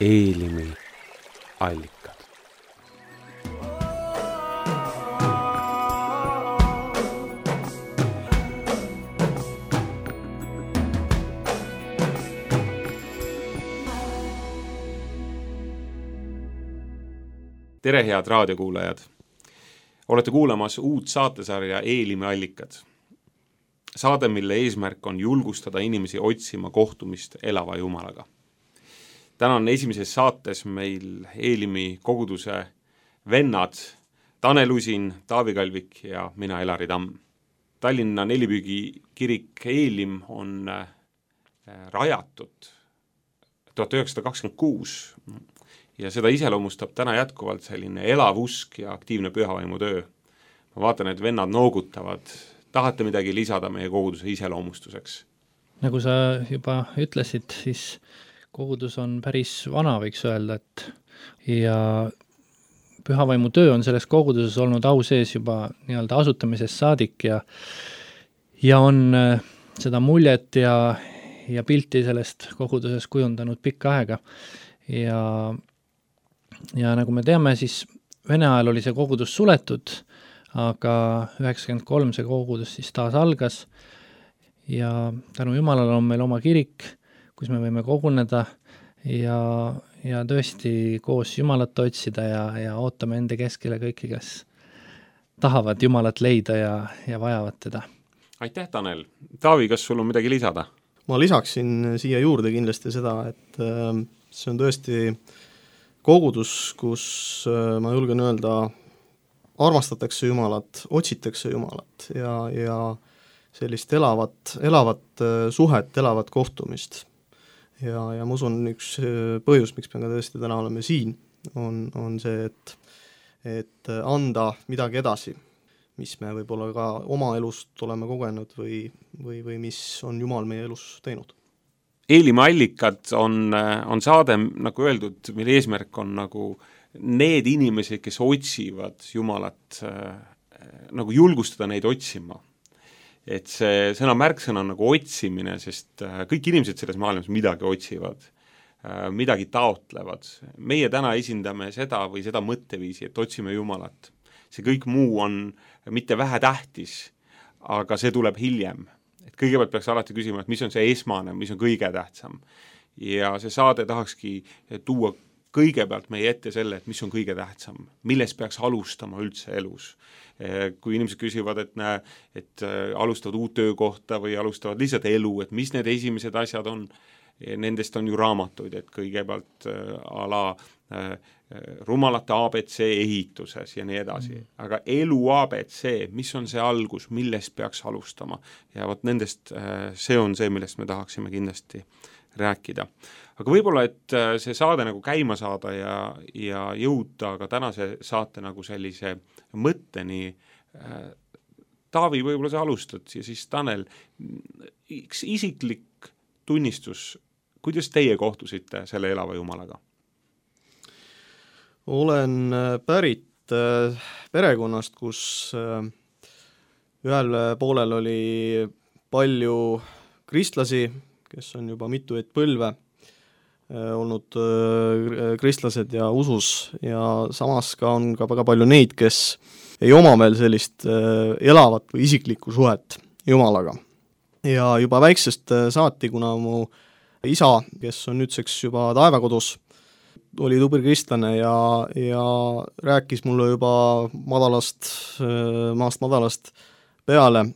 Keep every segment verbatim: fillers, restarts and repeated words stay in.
Eelimi allikad. Tere, head raadiokuulajad! Olete kuulamas uut saatesarja Eelimi allikad. Saade, mille eesmärk on julgustada inimesi otsima kohtumist elava Jumalaga. Täna on esimeses saates meil Eelimi koguduse vennad Tanel Usin, Taavi Kalvik ja mina, Elari Tamm. Tallinna Nelipüügi kirik Eelim on rajatud tuhat üheksasada kakskümmend kuus ja seda iseloomustab täna jätkuvalt selline elav usk ja aktiivne pühavaimu töö. Ma vaatan, et vennad noogutavad. Tahate midagi lisada meie koguduse iseloomustuseks? Nagu sa juba ütlesid, siis kogudus on päris vana, võiks öelda, et ja pühavaimu töö on selles koguduses olnud au sees juba nii-öelda asutamisest saadik ja, ja on seda muljet ja, ja pilti sellest koguduses kujundanud pikka aega. Ja, ja nagu me teame, siis Vene ajal oli see kogudus suletud, aga üheksakümmend kolm see kogudus siis taas algas ja tänu Jumalale on meil oma kirik, kus me võime koguneda ja, ja tõesti koos Jumalat otsida ja, ja ootame enda keskele kõiki, kes tahavad Jumalat leida ja, ja vajavad teda. Aitäh, Tanel! Taavi, kas sul on midagi lisada? Ma lisaksin siia juurde kindlasti seda, et see on tõesti kogudus, kus ma julgen öelda, armastatakse Jumalat, otsitakse Jumalat ja, ja sellist elavat, elavat suhet, elavat kohtumist. Ja, ja ma usun, üks põhjus, miks me ka tõesti täna oleme siin, on, on see, et, et anda midagi edasi, mis me võib-olla ka oma elust oleme kogenud või, või, või mis on Jumal meie elus teinud. Eelimi allikad on, on saade, nagu öeldud, mille eesmärk on nagu need inimesed, kes otsivad Jumalat, äh, nagu julgustada neid otsima. Et see sõna märksõna on nagu otsimine, sest äh, kõik inimesed selles maailmas midagi otsivad, äh, midagi taotlevad. Meie täna esindame seda või seda mõtteviisi, et otsime Jumalat. See kõik muu on mitte vähe tähtis, aga see tuleb hiljem. Et kõigepealt peaks alati küsima, et mis on see esmane, mis on kõige tähtsam. Ja see saade tahakski tuua kõigepealt meie ette selle, et mis on kõige tähtsam, milles peaks alustama üldse elus. Kui inimesed küsivad, et, näe, et alustavad uut töökohta või alustavad lihtsalt elu, et mis need esimesed asjad on, nendest on ju raamatuid, et kõigepealt ala rumalate A B C ehituses ja nii edasi. Aga elu A B C, mis on see algus, millest peaks alustama? Ja võt nendest, see on see, millest me tahaksime kindlasti rääkida. Aga võib-olla, et see saade nagu käima saada ja, ja jõuda ka tänase saate nagu sellise mõtteni. Taavi, võib-olla sa alustad ja siis Tanel, üks isiklik tunnistus, kuidas teie kohtusite selle elava Jumalaga? Olen pärit perekonnast, kus ühel poolel oli palju kristlasi, kes on juba mitu et põlve olnud kristlased ja usus ja samas ka on ka väga palju neid, kes ei oma veel sellist elavat või isiklikku suhet Jumalaga. Ja juba väiksest saati, kuna mu isa, kes on nüüdseks juba taevakodus, oli tubli kristlane ja, ja rääkis mulle juba madalast, maast madalast peale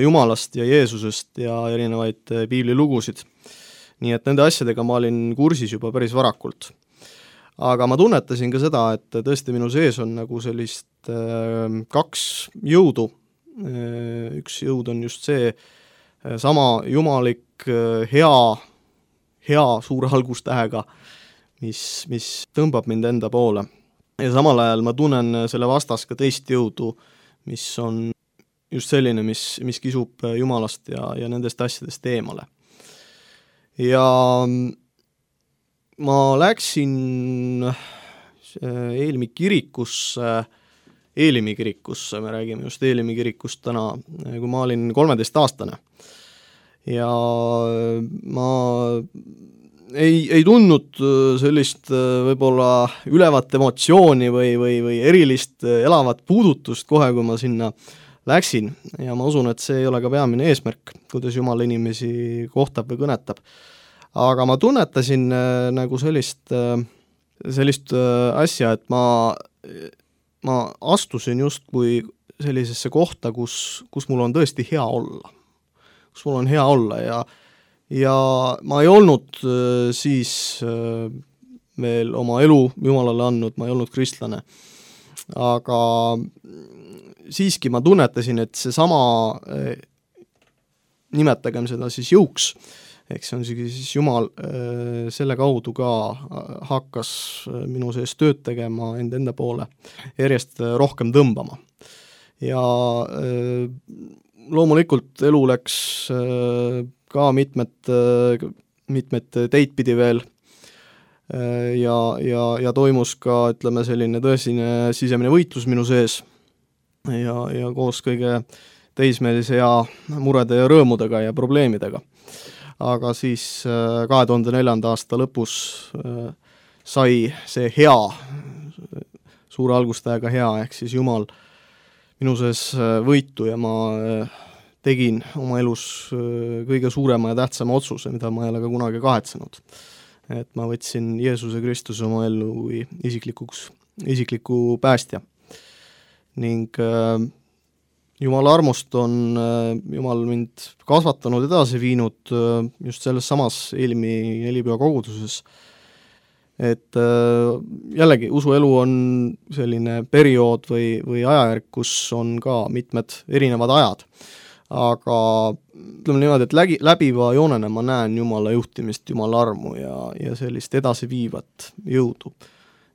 Jumalast ja Jeesusest ja erinevaid piiblilugusid. Nii et nende asjadega ma olin kursis juba päris varakult. Aga ma tunnetasin ka seda, et tõesti minu sees on nagu sellist kaks jõudu. Üks jõud on just see sama jumalik, hea, hea suure algustähega, mis, mis tõmbab mind enda poole. Ja samal ajal ma tunnen selle vastas ka teist jõudu, mis on just selline, mis, mis kisub Jumalast ja, ja nendest asjadest eemale. Ja ma läksin Eelimi kirikusse, Eelimi kirikusse, me räägime just Eelimi kirikust täna, kui ma olin kolmeteist aastane. Ja ma ei, ei tundnud sellist võib-olla ülevat emotsiooni või, või, või erilist elavat puudutust kohe, kui ma sinna läksin ja ma usun, et see ei ole ka peamine eesmärk, kuidas Jumal inimesi kohtab või kõnetab. Aga ma tunnetasin nagu sellist, sellist asja, et ma, ma astusin justkui sellisesse kohta, kus, kus mul on tõesti hea olla. Kus mul on hea olla ja ja ma ei olnud siis veel oma elu Jumalale andnud, ma ei olnud kristlane. Aga siiski ma tunnetasin, et see sama, nimetagem seda siis jõuks, eks see on siis Jumal selle kaudu ka hakkas minu sees tööd tegema enda enda poole, järjest rohkem tõmbama. Ja loomulikult elu läks ka mitmed, mitmed teid pidi veel ja, ja, ja toimus ka, ütleme, selline tõsine sisemine võitlus minu sees ja, ja koos kõige teismelise ja murede ja rõõmudega ja probleemidega. Aga siis kahe tuhande neljanda aasta lõpus sai see hea, suure algustähega hea, ehk siis Jumal minu sees võitu ja ma tegin oma elus kõige suurema ja tähtsama otsuse, mida ma ei ole ka kunagi kahetsenud. Et ma võtsin Jeesuse Kristuse oma ellu isiklikuks, isikliku päästja. Ning äh, Jumala armust on äh, Jumal mind kasvatanud edasi viinud äh, just selles samas Eelmi nelipüha koguduses. Et äh, jällegi, usuelu on selline periood või, või ajajärk, kus on ka mitmed erinevad ajad. Aga ütleme niimoodi, et läbi, läbiva joonena ma näen Jumala juhtimist, Jumala armu ja, ja sellist edasiviivat jõudu.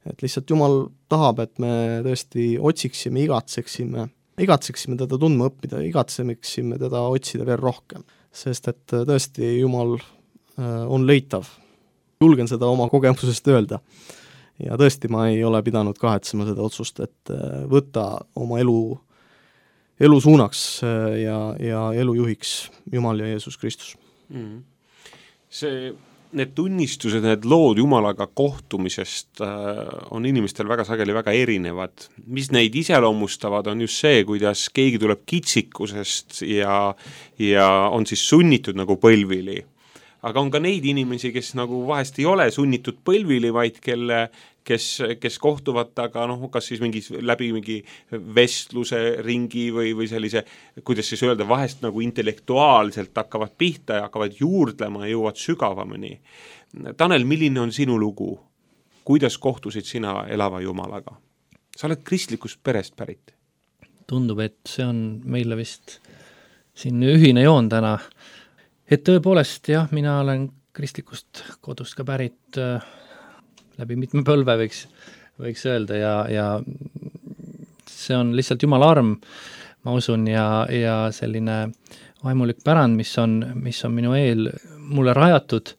Et lihtsalt Jumal tahab, et me tõesti otsiksime, igatseksime, igatseksime teda tundma õppida, igatseksime teda otsida veel rohkem. Sest et tõesti Jumal on leitav. Julgen seda oma kogemusest öelda. Ja tõesti ma ei ole pidanud kahetsema seda otsust, et võtta oma elu elu suunaks ja, ja elu juhiks Jumal ja Jeesus Kristus. Mm. See, need tunnistused, need lood Jumalaga kohtumisest äh, on inimestel väga sageli väga erinevad. Mis neid iseloomustavad, on just see, kuidas keegi tuleb kitsikusest ja, ja on siis sunnitud nagu põlvili. Aga on ka neid inimesi, kes nagu vahest ei ole sunnitud põlvili, vaid kelle kes, kes kohtuvad aga noh, kas siis mingi läbi mingi vestluse ringi või, või sellise, kuidas siis öelda, vahest nagu intellektuaalselt hakkavad pihta ja hakkavad juurdlema ja jõuavad sügavamini. Tanel, milline on sinu lugu? Kuidas kohtusid sina elava Jumalaga? Sa oled kristlikust perest pärit. Tundub, et see on meile vist siin ühine joon täna. Et tõepoolest, jah, mina olen kristlikust kodust ka pärit äh, läbi mitme põlve võiks, võiks öelda ja, ja see on lihtsalt Jumala arm, ma usun, ja, ja selline vaimulik pärand, mis on, mis on minu eel mulle rajatud,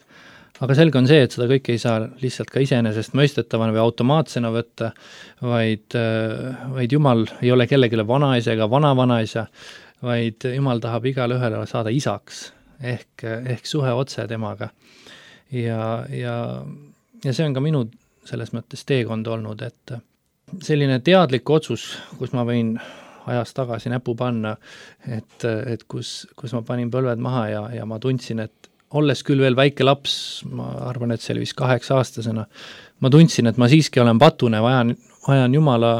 aga selge on see, et seda kõike ei saa lihtsalt ka iseenesest mõistetavana või automaatsena võtta, vaid, vaid Jumal ei ole kellegile vanaisa ega vana-vanaisa, vaid Jumal tahab igale ühele saada isaks, ehk, ehk suhe otse temaga. Ja, ja Ja see on ka minu selles mõttes teekond olnud, et selline teadlik otsus, kus ma võin ajas tagasi näpu panna, et, et kus, kus ma panin põlved maha ja, ja ma tundsin, et olles küll veel väike laps, ma arvan, et see oli vist kaheksa aastasena, ma tundsin, et ma siiski olen patune, vajan, vajan Jumala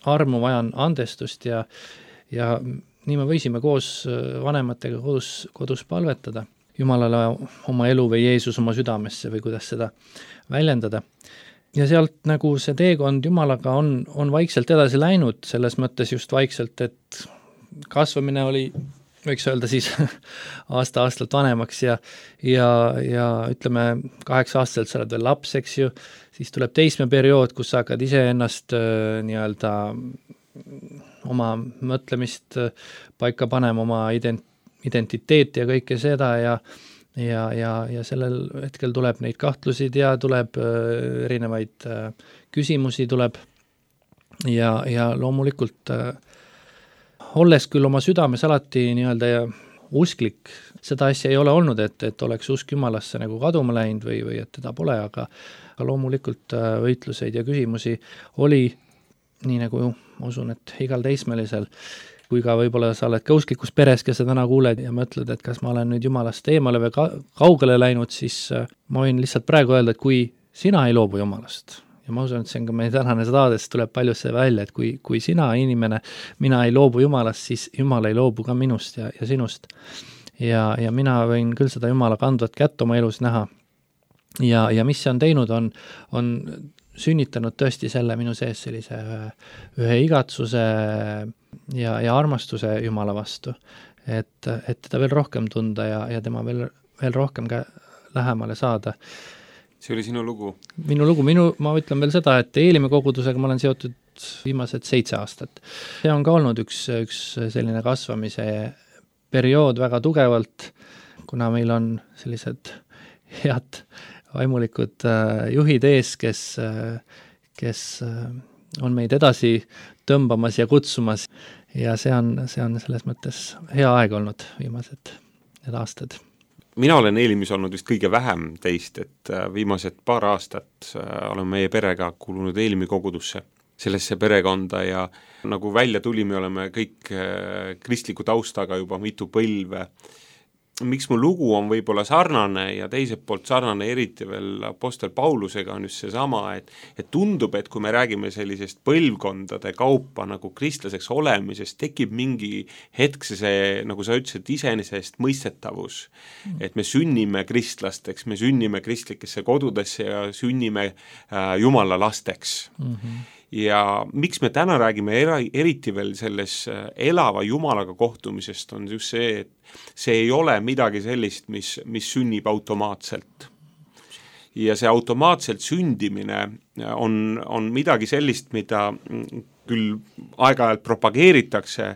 armu, vajan andestust ja, ja nii me võisime koos vanematega kodus, kodus palvetada Jumalale oma elu või Jeesus oma südamesse või kuidas seda väljendada. Ja sealt nagu see teekond Jumalaga on, on vaikselt edasi läinud, selles mõttes just vaikselt, et kasvamine oli, võiks öelda siis aasta-aastalt vanemaks ja, ja, ja ütleme, kaheksa aastaselt sa oled veel laps, eks ju, siis tuleb teismeperiood, kus sa hakkad ise ennast äh, nii-öelda oma mõtlemist äh, paika panema, oma ident- identiteeti ja kõike seda ja, ja, ja, ja sellel hetkel tuleb neid kahtlusid ja tuleb äh, erinevaid äh, küsimusi tuleb ja, ja loomulikult äh, olles küll oma südames alati nii-öelda usklik, seda asja ei ole olnud, et, et oleks usk Jumalasse nagu kaduma läinud või, või et teda pole, aga, aga loomulikult võitluseid ja küsimusi oli, nii nagu ma usun, et igal teismelisel, kui ka võib-olla sa oled ka usklikus peres, kes sa täna kuuled ja mõtled, et kas ma olen nüüd Jumalast eemale või ka, kaugele läinud, siis ma võin lihtsalt praegu öelda, et kui sina ei loobu Jumalast, ja ma usun, et see on ka meie tänane saades, tuleb palju see välja, et kui, kui sina inimene, mina ei loobu Jumalast, siis Jumal ei loobu ka minust ja, ja sinust. Ja, ja mina võin küll seda Jumala kandvat kätt oma elus näha. Ja, ja mis see on teinud, on, on sünnitanud tõesti selle minu sees sellise ühe, ühe igatsuse ja, ja armastuse Jumala vastu. Et, et teda veel rohkem tunda ja, ja tema veel, veel rohkem ka lähemale saada. See oli sinu lugu? Minu lugu, minu, ma ütlen veel seda, et Eelimi kogudusega ma olen seotud viimased seitse aastat. See on ka olnud üks, üks selline kasvamise periood väga tugevalt, kuna meil on sellised head vaimulikud juhid ees, kes, kes on meid edasi tõmbamas ja kutsumas ja see on, see on selles mõttes hea aeg olnud viimased need aastad. Mina olen Eelimis olnud vist kõige vähem teist, et viimased paar aastat olen meie perega kuulunud Eelimi kogudusse, sellesse perekonda ja nagu välja tuli, me oleme kõik kristliku taustaga juba mitu põlve. Miks mu lugu on võib-olla sarnane ja teiselt poolt sarnane eriti veel apostel Paulusega on just see sama, et, et tundub, et kui me räägime sellisest põlvkondade kaupa nagu kristlaseks olemisest, tekib mingi hetk see, nagu sa ütlesid, iseenesest mõistetavus, mm. et me sünnime kristlasteks, me sünnime kristlikesse kodudesse ja sünnime äh, Jumala lasteks. Mm-hmm. Ja miks me täna räägime era, eriti veel selles elava Jumalaga kohtumisest on just see, et see ei ole midagi sellist, mis, mis sünnib automaatselt. Ja see automaatselt sündimine on, on midagi sellist, mida küll aeg-ajalt propageeritakse,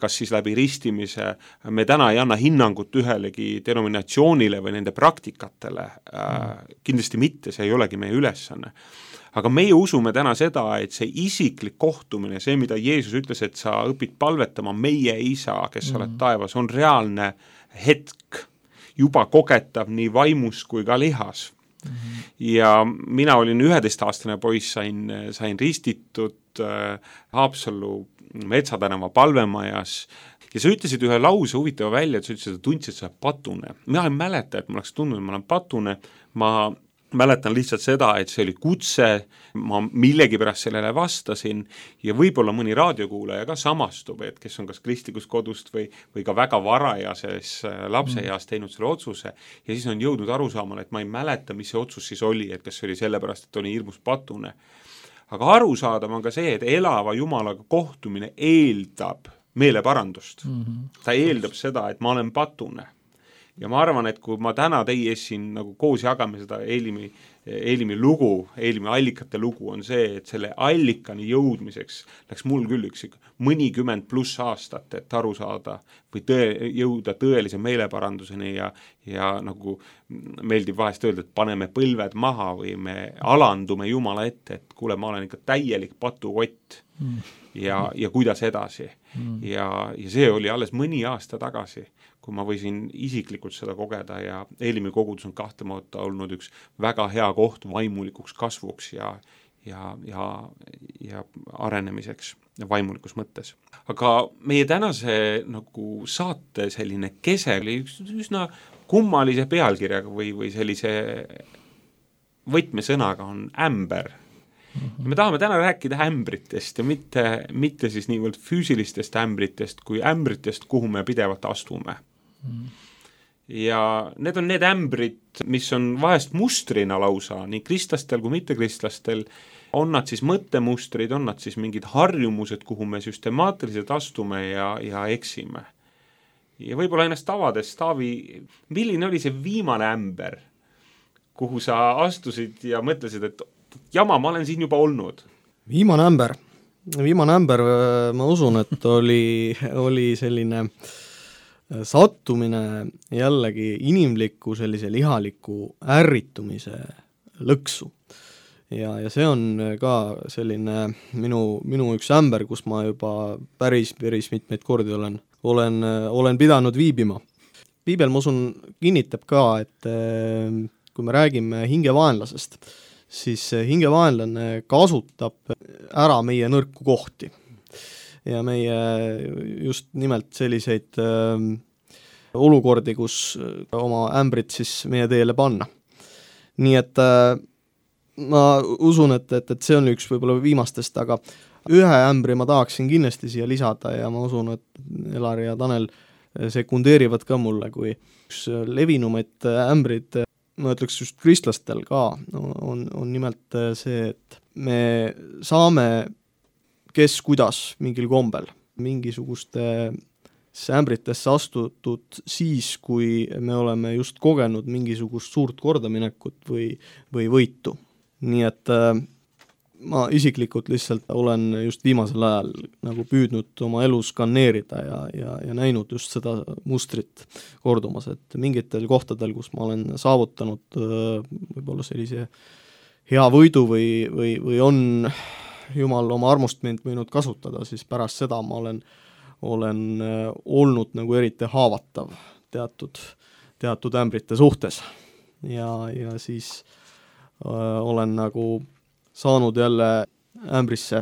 kas siis läbi ristimise, me täna ei anna hinnangut ühelegi denominatsioonile või nende praktikatele, kindlasti mitte, see ei olegi meie ülesanne. Aga meie usume täna seda, et see isiklik kohtumine, see, mida Jeesus ütles, et sa õpid palvetama meie isa, kes mm. oled taevas, on reaalne hetk, juba kogetav nii vaimus kui ka lihas. Mm-hmm. Ja mina olin üheteistaastane poiss, sain, sain ristitud äh, Haapsallu Metsatänava palvemajas ja sa ütlesid ühe lause huvitava välja, et sa ütlesid, et tundsid, et sa oled patune. Mina ei mäleta, et ma oleks tundnud, et ma olen patune, ma mäletan lihtsalt seda, et see oli kutse, ma millegi pärast sellele vastasin ja võib-olla mõni raadiokuulaja ka samastub, et kes on kas kristlikust kodust või, või ka väga varajases lapseeas teinud selle otsuse ja siis on jõudnud arusaamale, et ma ei mäleta, mis see otsus siis oli, et kas see oli sellepärast, et oli hirmus patune. Aga arusaadav on ka see, et elava Jumalaga kohtumine eeldab meeleparandust. Mm-hmm. Ta eeldab seda, et ma olen patune. Ja ma arvan, et kui ma täna teie ees siin nagu koos jagame seda Eelimi, Eelimi lugu, Eelimi allikate lugu on see, et selle allikani jõudmiseks läks mul küll üks mõnikümmend pluss aastat, et aru saada või tõe, jõuda tõelise meeleparanduseni ja, ja nagu meeldib vahest öelda, et paneme põlved maha või me alandume Jumala ette, et kuule, ma olen ikka täielik patukott mm. ja, ja kuidas edasi. Mm. Ja, ja see oli alles mõni aasta tagasi, kui ma võisin isiklikult seda kogeda ja Eelimi kogudus on kahtlemata olnud üks väga hea koht vaimulikuks kasvuks ja, ja, ja, ja arenemiseks vaimulikus mõttes. Aga meie tänase nagu saate selline kese oli üks üsna kummalise pealkirjaga või, või sellise võtmesõnaga on ämber. Ja me tahame täna rääkida ämbritest ja mitte, mitte siis niivõrd füüsilistest ämbritest kui ämbritest, kuhu me pidevalt astume. Ja need on need ämbrid, mis on vahest mustrina lausa, nii kristlastel kui mittekristlastel, on nad siis mõttemustrid, on nad siis mingid harjumused, kuhu me süstemaatiliselt astume ja, ja eksime. Ja võib-olla ennast avades, Taavi, milline oli see viimane ämber, kuhu sa astusid ja mõtlesid, et jama, ma olen siin juba olnud? Viimane ämber, viimane ämber, ma usun, et oli, oli selline sattumine jällegi inimliku sellise lihaliku ärritumise lõksu. Ja, ja see on ka selline minu, minu üks ämber, kus ma juba päris, päris mitmeid kordi olen, olen, olen pidanud viibima. piibel, ma usun, kinnitab ka, et kui me räägime hingevaenlasest, siis hingevaenlane kasutab ära meie nõrku kohti ja meie just nimelt selliseid äh, olukordi, kus oma ämbrit siis meie teele panna. Nii et äh, ma usun, et, et, et see on üks võib-olla viimastest, aga ühe ämbri ma tahaksin kindlasti siia lisada ja ma usun, et Elari ja Tanel sekundeerivad ka mulle, kui üks levinumaid ämbrid, ma ütleks just kristlastel ka, on, on nimelt see, et me saame kes kuidas mingil kombel mingisuguste ämbritesse astutud siis, kui me oleme just kogenud mingisugust suurt kordaminekut või, või võitu. Nii et äh, ma isiklikult lihtsalt olen just viimasel ajal nagu püüdnud oma elu skanneerida ja, ja, ja näinud just seda mustrit kordumas, et mingitel kohtadel, kus ma olen saavutanud võib-olla sellise hea võidu või, või, või on Jumal oma armust mind võinud kasutada, siis pärast seda ma olen, olen olnud nagu eriti haavatav teatud, teatud ämbrite suhtes ja, ja siis öö, olen nagu saanud jälle ämbrisse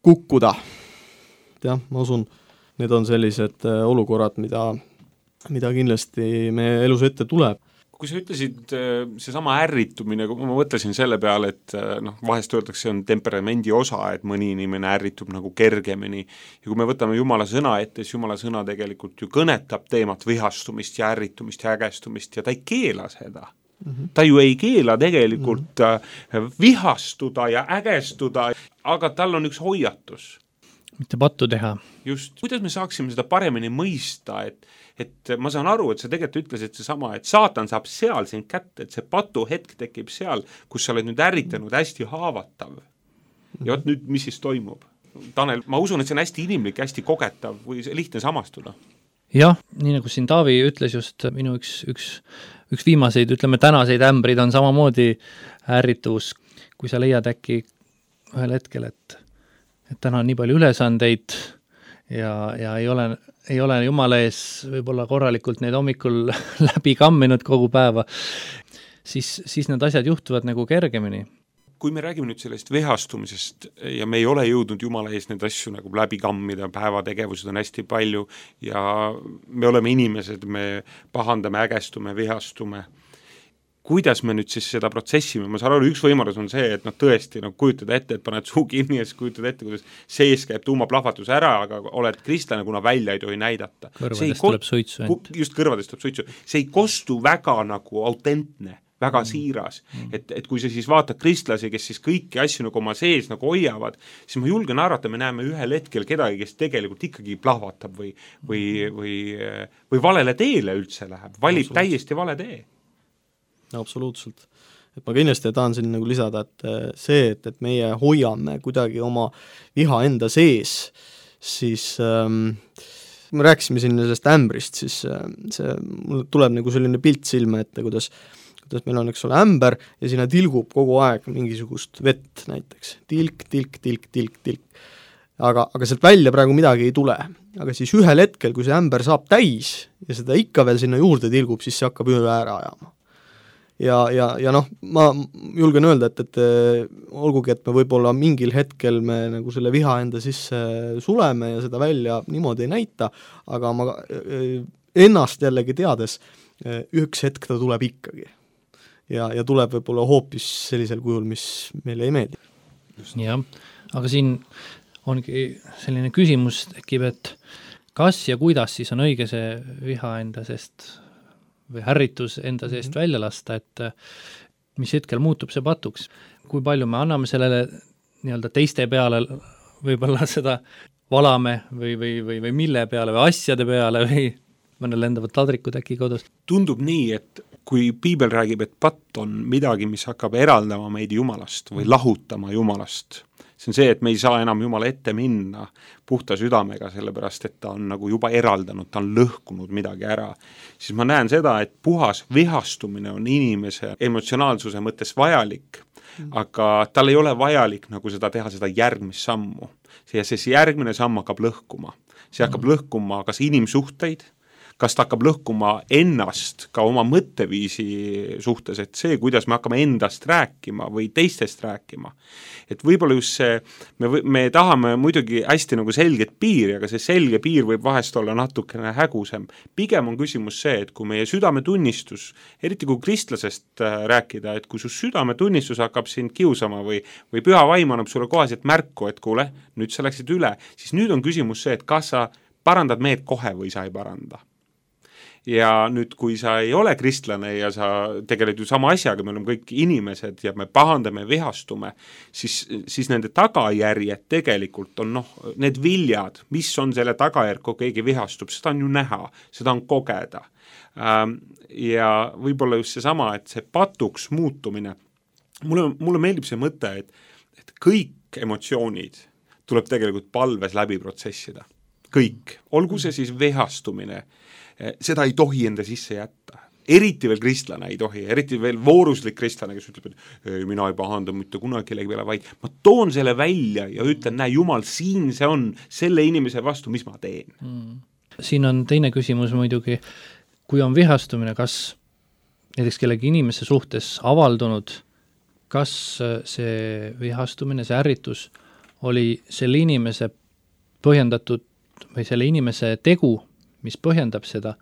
kukkuda. jah, ma usun, need on sellised olukorrad, mida, mida kindlasti meie elus ette tuleb. Kui sa ütlesid seesama ärritumine, kui ma mõtlesin selle peale, et noh, vahest öeldakse, see on temperamendi osa, et mõni inimene ärritub nagu kergemini ja kui me võtame Jumala sõna ette, siis Jumala sõna tegelikult ju kõnetab teemat vihastumist ja ärritumist ja ägestumist ja ta ei keela seda. Mm-hmm. Ta ju ei keela tegelikult mm-hmm. vihastuda ja ägestuda, aga tal on üks hoiatus. Mitte pattu teha. Just, kuidas me saaksime seda paremini mõista, et, et ma saan aru, et sa tegelikult ütlesid see sama, et saatan saab seal sind kätte, et see patu hetk tekib seal, kus sa oled nüüd ärritanud hästi haavatav. Ja oot nüüd, mis siis toimub? Tanel, ma usun, et see on hästi inimlik, hästi kogetav või lihtne samastuda. Jah, nii nagu siin Taavi ütles just, minu üks, üks, üks viimaseid, ütleme tänaseid ämbrid on samamoodi ärritus, kui sa leiad äkki ühel hetkel, et, et täna on nii palju ülesandeid ja, ja ei ole, ei ole Jumala ees võib-olla korralikult neid hommikul läbi kamminud kogu päeva, siis, siis need asjad juhtuvad nagu kergemini. Kui me räägime nüüd sellest vihastumisest ja me ei ole jõudnud Jumala ees neid asju nagu läbi kammida, päevategevused on hästi palju ja me oleme inimesed, me pahandame, ägestume, vihastume. Kuidas me nüüd siis seda protsessime? Ma saan aru, üks võimalus on see, et noh, tõesti no, kujutada ette, et paned suu kinni ja siis kujutada ette, kuidas sees käib tuumaplahvatus ära, aga oled kristlane, kuna välja ei tohi näidata. Kõrvadest ko- tuleb suitsu. Just kõrvadest tuleb suitsu. See ei kostu väga nagu autentne, väga mm. siiras, et, et kui sa siis vaatad kristlasi, kes siis kõiki asju nagu oma sees nagu hoiavad, siis ma julgen arvata, me näeme ühel hetkel kedagi, kes tegelikult ikkagi plahvatab või, või, või, või valele teele üldse läheb, valib täiesti vale tee. Absoluutselt. Et ma kindlasti tahan siin nagu lisada, et see, et, et meie hoiame kuidagi oma viha enda sees, siis ähm, me rääkisime siin sellest ämbrist, siis äh, see mul tuleb nagu selline pilt silme ette, kuidas, kuidas meil on, eks ole, ämber ja sinna tilgub kogu aeg mingisugust vett näiteks. Tilk, tilk, tilk, tilk, tilk. Aga, aga sealt välja praegu midagi ei tule. Aga siis ühel hetkel, kui see ämber saab täis ja seda ikka veel sinna juurde tilgub, siis see hakkab üle ära ajama. Ja, ja, ja noh, ma julgen öelda, et, et olgugi, et me võib-olla mingil hetkel me nagu selle viha enda sisse suleme ja seda välja niimoodi ei näita, aga ma ennast jällegi teades, üks hetk ta tuleb ikkagi. Ja, ja tuleb võib-olla hoopis sellisel kujul, mis meile ei meeldi. Jah, aga siin ongi selline küsimus tekib, et kas ja kuidas siis on õige see viha enda sest või ärritus enda seest mm-hmm. välja lasta, et mis hetkel muutub see patuks. Kui palju me anname sellele nii-öelda teiste peale võib-olla seda valame või, või, või, või mille peale või asjade peale või mõne lendavad tadrikud äkki kodust. Tundub nii, et kui piibel räägib, et patt on midagi, mis hakkab eraldama meid Jumalast või lahutama Jumalast, see on see, et me ei saa enam Jumala ette minna puhta südamega, sellepärast et ta on nagu juba eraldanud, ta on lõhkunud midagi ära. Siis ma näen seda, et puhas vihastumine on inimese emotsionaalsuse mõttes vajalik, mm. aga tal ei ole vajalik nagu seda teha, seda järgmist sammu. Ja see järgmine samm hakkab lõhkuma. See hakkab mm. lõhkuma kas inimsuhteid, kas ta hakkab lõhkuma ennast ka oma mõtteviisi suhtes, et see, kuidas me hakkame endast rääkima või teistest rääkima. Et võib-olla just see, me, me tahame muidugi hästi nagu selget piiri, aga see selge piir võib vahest olla natukene hägusem. Pigem on küsimus see, et kui meie südametunnistus, eriti kui kristlasest rääkida, et kui su südametunnistus hakkab sind kiusama või, või püha vaim annab sulle kohaselt märku, et kuule, nüüd sa läksid üle, siis nüüd on küsimus see, et kas sa parandad meed kohe või sa ei paranda. Ja nüüd, kui sa ei ole kristlane ja sa tegeled ju sama asjaga, me oleme kõik inimesed ja me pahandame, vihastume, siis, siis nende tagajärjed tegelikult on noh, need viljad, mis on selle tagajärg, kui keegi vihastub, seda on ju näha, seda on kogeda. Ja võib-olla just see sama, et see patuks muutumine, mulle, mulle meeldib see mõte, et, et kõik emotsioonid tuleb tegelikult palves läbi protsessida. Kõik, olgu see siis vihastumine, seda ei tohi enda sisse jätta. Eriti veel kristlane ei tohi, eriti veel vooruslik kristlane, kes ütleb, et ei, mina ei pahanda mitte kunagi kellegi peale, vaid ma toon selle välja ja ütlen, näe, Jumal, siin see on selle inimese vastu, mis ma teen. Mm. Siin on teine küsimus muidugi, kui on vihastumine, kas näiteks kellegi inimese suhtes avaldunud, kas see vihastumine, see ärritus oli selle inimese põhjendatud või selle inimese tegu, mis põhjendab seda,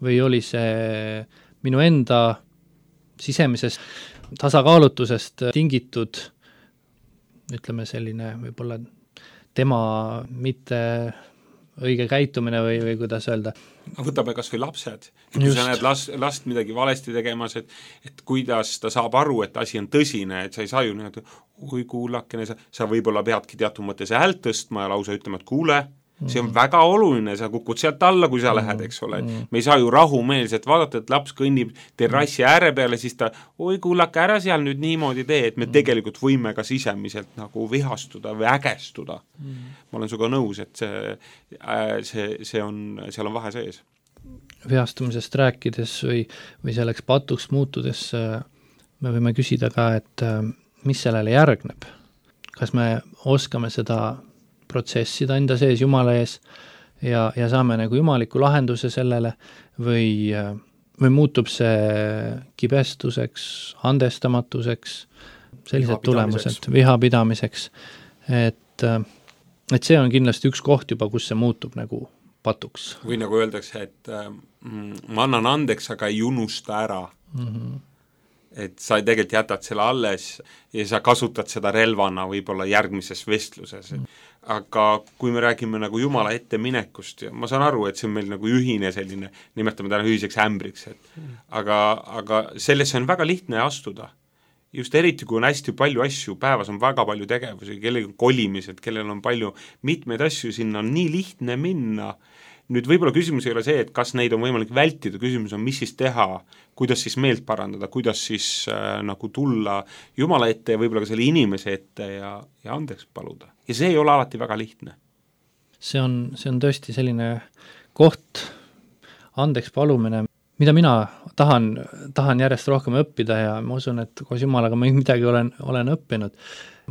või oli see minu enda sisemisest tasakaalutusest tingitud, ütleme selline võib-olla tema mitte õige käitumine või, või kuidas öelda. Võtame kas või lapsed, kui sa näed last, last midagi valesti tegemas, et, et kuidas ta saab aru, et asi on tõsine, et sa ei saa ju nii, oi kuulakene, sa, sa võib-olla peadki teatud mõttes häält tõstma ja lausa ütlema, et kuule, see on väga oluline, sa kukud sealt alla, kui sa lähed, eks ole. Me ei saa ju rahumeelselt vaadata, et laps kõnnib terrassi ääre peale, siis ta, oi kuulake, ära seal nüüd niimoodi tee, et me tegelikult võime ka sisemiselt nagu vihastuda või ägestuda. Ma olen suga nõus, et see, see, see on, seal on vahe sees. Vihastumisest rääkides või, või selleks patuks muutudes me võime küsida ka, et mis sellele järgneb. Kas me oskame seda protsessida enda sees Jumala ees ja, ja saame nagu jumaliku lahenduse sellele või, või muutub see kibestuseks, andestamatuseks, sellised tulemused, vihapidamiseks, et, et see on kindlasti üks koht juba, kus see muutub nagu patuks. Või nagu öeldakse, et mm, ma annan andeks, aga ei unusta ära. Mm-hmm. Et sa tegelikult jätad selle alles ja sa kasutad seda relvana võib-olla järgmises vestluses. Mm. Aga kui me räägime nagu Jumala ette minekust, ja ma saan aru, et see on meil nagu ühine selline, nimetame täna ühiseks ämbriks, et mm. aga, aga sellesse on väga lihtne astuda. Just eriti, kui on hästi palju asju, päevas on väga palju tegevusi, kellel on kolimised, kellel on palju mitmeid asju, sinna on nii lihtne minna. Nüüd võib-olla küsimus ei ole see, et kas neid on võimalik vältida, küsimus on, mis siis teha, kuidas siis meelt parandada, kuidas siis äh, nagu tulla Jumala ette ja võib-olla ka selle inimese ette ja, ja andeks paluda. Ja see ei ole alati väga lihtne. See on, see on tõesti selline koht, andeks palumine, mida mina tahan, tahan järjest rohkem õppida ja ma usun, et koos Jumalaga ma midagi olen, olen õppinud.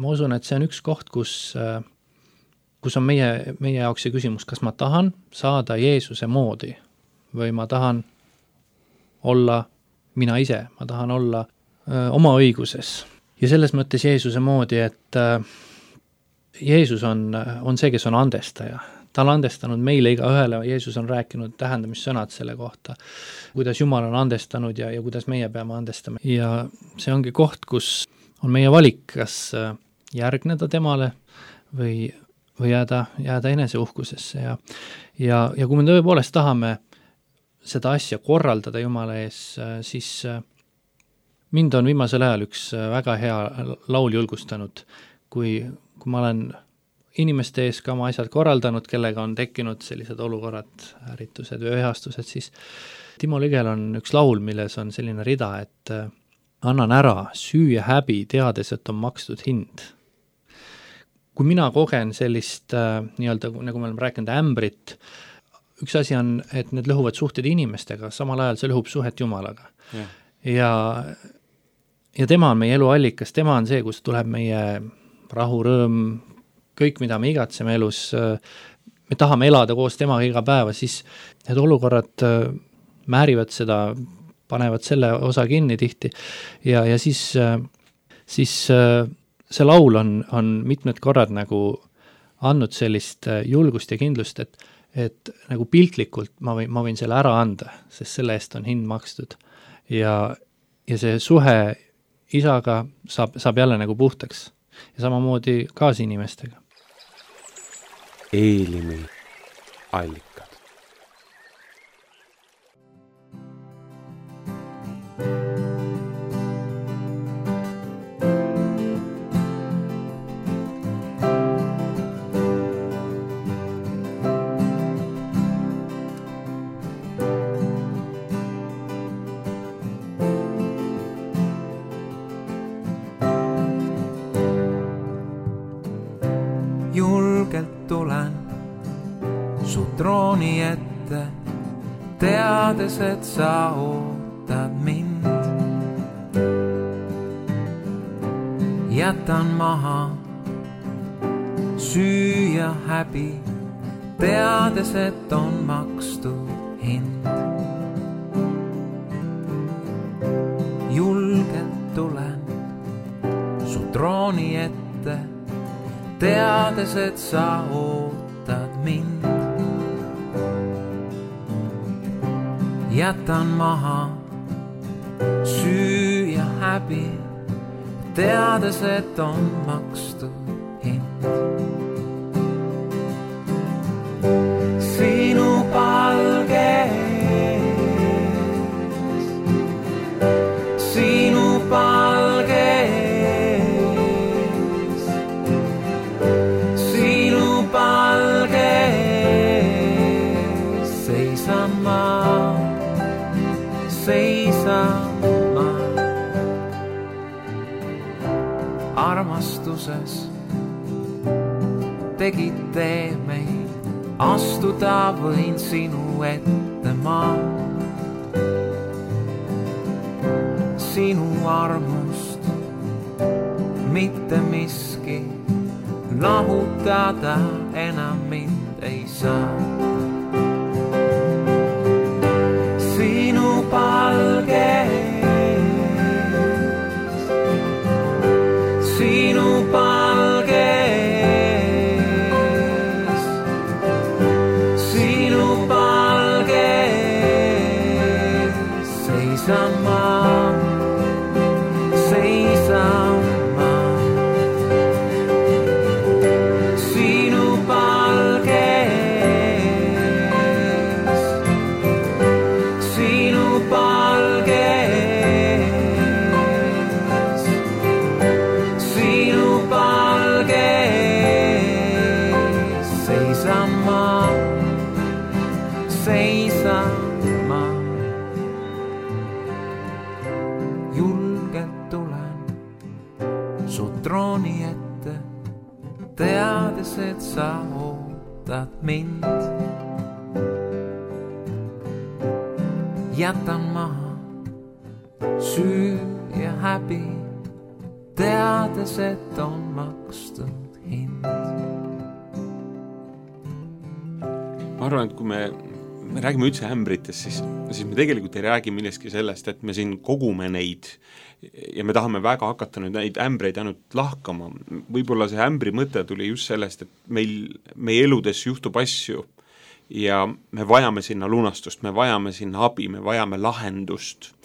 Ma usun, et see on üks koht, kus äh, kus on meie, meie jaoks see küsimus, kas ma tahan saada Jeesuse moodi või ma tahan olla mina ise, ma tahan olla öö, oma õiguses. Ja selles mõttes Jeesuse moodi, et öö, Jeesus on, on see, kes on andestaja. Ta on andestanud meile iga ühele, Jeesus on rääkinud tähendamissõnad selle kohta, kuidas Jumal on andestanud ja, ja kuidas meie peame andestama. Ja see ongi koht, kus on meie valik, kas järgneda temale või või jääda, jääda eneseuhkusesse ja, ja, ja kui me tõepoolest tahame seda asja korraldada Jumala ees, siis mind on viimasel ajal üks väga hea laul julgustanud, kui, kui ma olen inimeste ees ka oma asjad korraldanud, kellega on tekkinud sellised olukorrad, ärritused või ühastused, siis Timo Ligel on üks laul, milles on selline rida, et annan ära süü ja häbi, teades, et on makstud hind. Kui mina kogen sellist äh, nii-öelda, nagu me oleme rääkinud, ämbrit, üks asi on, et need lõhuvad suhted inimestega, samal ajal see lõhub suhet Jumalaga. Ja, ja, ja tema on meie elu allikas, tema on see, kus tuleb meie rahu, rõõm, kõik, mida me igatseme elus, äh, me tahame elada koos temaga iga päeva, siis need olukorrad määrivad seda, panevad selle osa kinni tihti ja, ja siis, siis see laul on, on mitmed korrad nagu andnud sellist julgust ja kindlust, et, et nagu piltlikult ma võin, ma võin selle ära anda, sest selle eest on hind makstud ja, ja see suhe isaga saab, saab jälle nagu puhtaks ja samamoodi kaasinimestega. Eelimi allikad. Julgelt tulen su trooni ette, teades, et sa ootad mind. Jätan maha süü ja häbi, teades, et on makstud hind. Julgelt tulen su trooni ette, teades, et sa ootad mind. Jätan maha süü ja häbi, teades, et on makstud hind. Sinu palges, sinu palges, seisan ma, seisan ma. Armastuses tegid tee meid, astuda võin sinu ette ma. Sinu armust mitte miski lahutada enam mind ei saa. Sinu palges, sinu palges, sinu palges, seisan ma, seisan ma. Sinu palges, sinu palges, sinu palges, seisan ma, seisan ma. Julgelt tulen su trooni ette, teades, et sa ootad mind. Jätan maha süü ja häbi, teades, et on makstud hind. Ma arvan, et kui me, me räägime üldse ämbritest, siis, siis me tegelikult ei räägi millestki sellest, et me siin kogume neid ja me tahame väga hakata nüüd neid ämbreid ainult lahkama. Võib-olla see ämbri mõte tuli just sellest, et meil, meie eludes juhtub asju ja me vajame sinna lunastust, me vajame sinna abi, me vajame lahendust.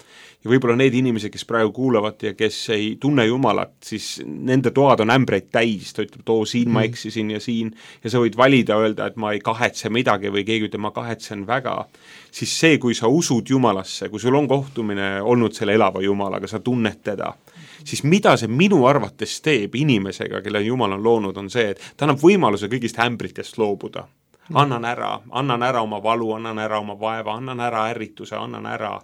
Ja võib-olla need inimesed, kes praegu kuulavad ja kes ei tunne Jumalat, siis nende toad on ämbreid täis, ta ütleb, too siin ma eksisin ja siin, ja sa võid valida öelda, et ma ei kahetse midagi või keegi ütleb, ma kahetsen väga, siis see, kui sa usud Jumalasse, kui sul on kohtumine olnud selle elava Jumalaga, sa tunned teda, siis mida see minu arvates teeb inimesega, kelle Jumal on loonud, on see, et ta annab võimaluse kõigist ämbritest loobuda. Annan ära, annan ära oma valu, annan ära oma vaeva, annan ära ärrituse, annan ära.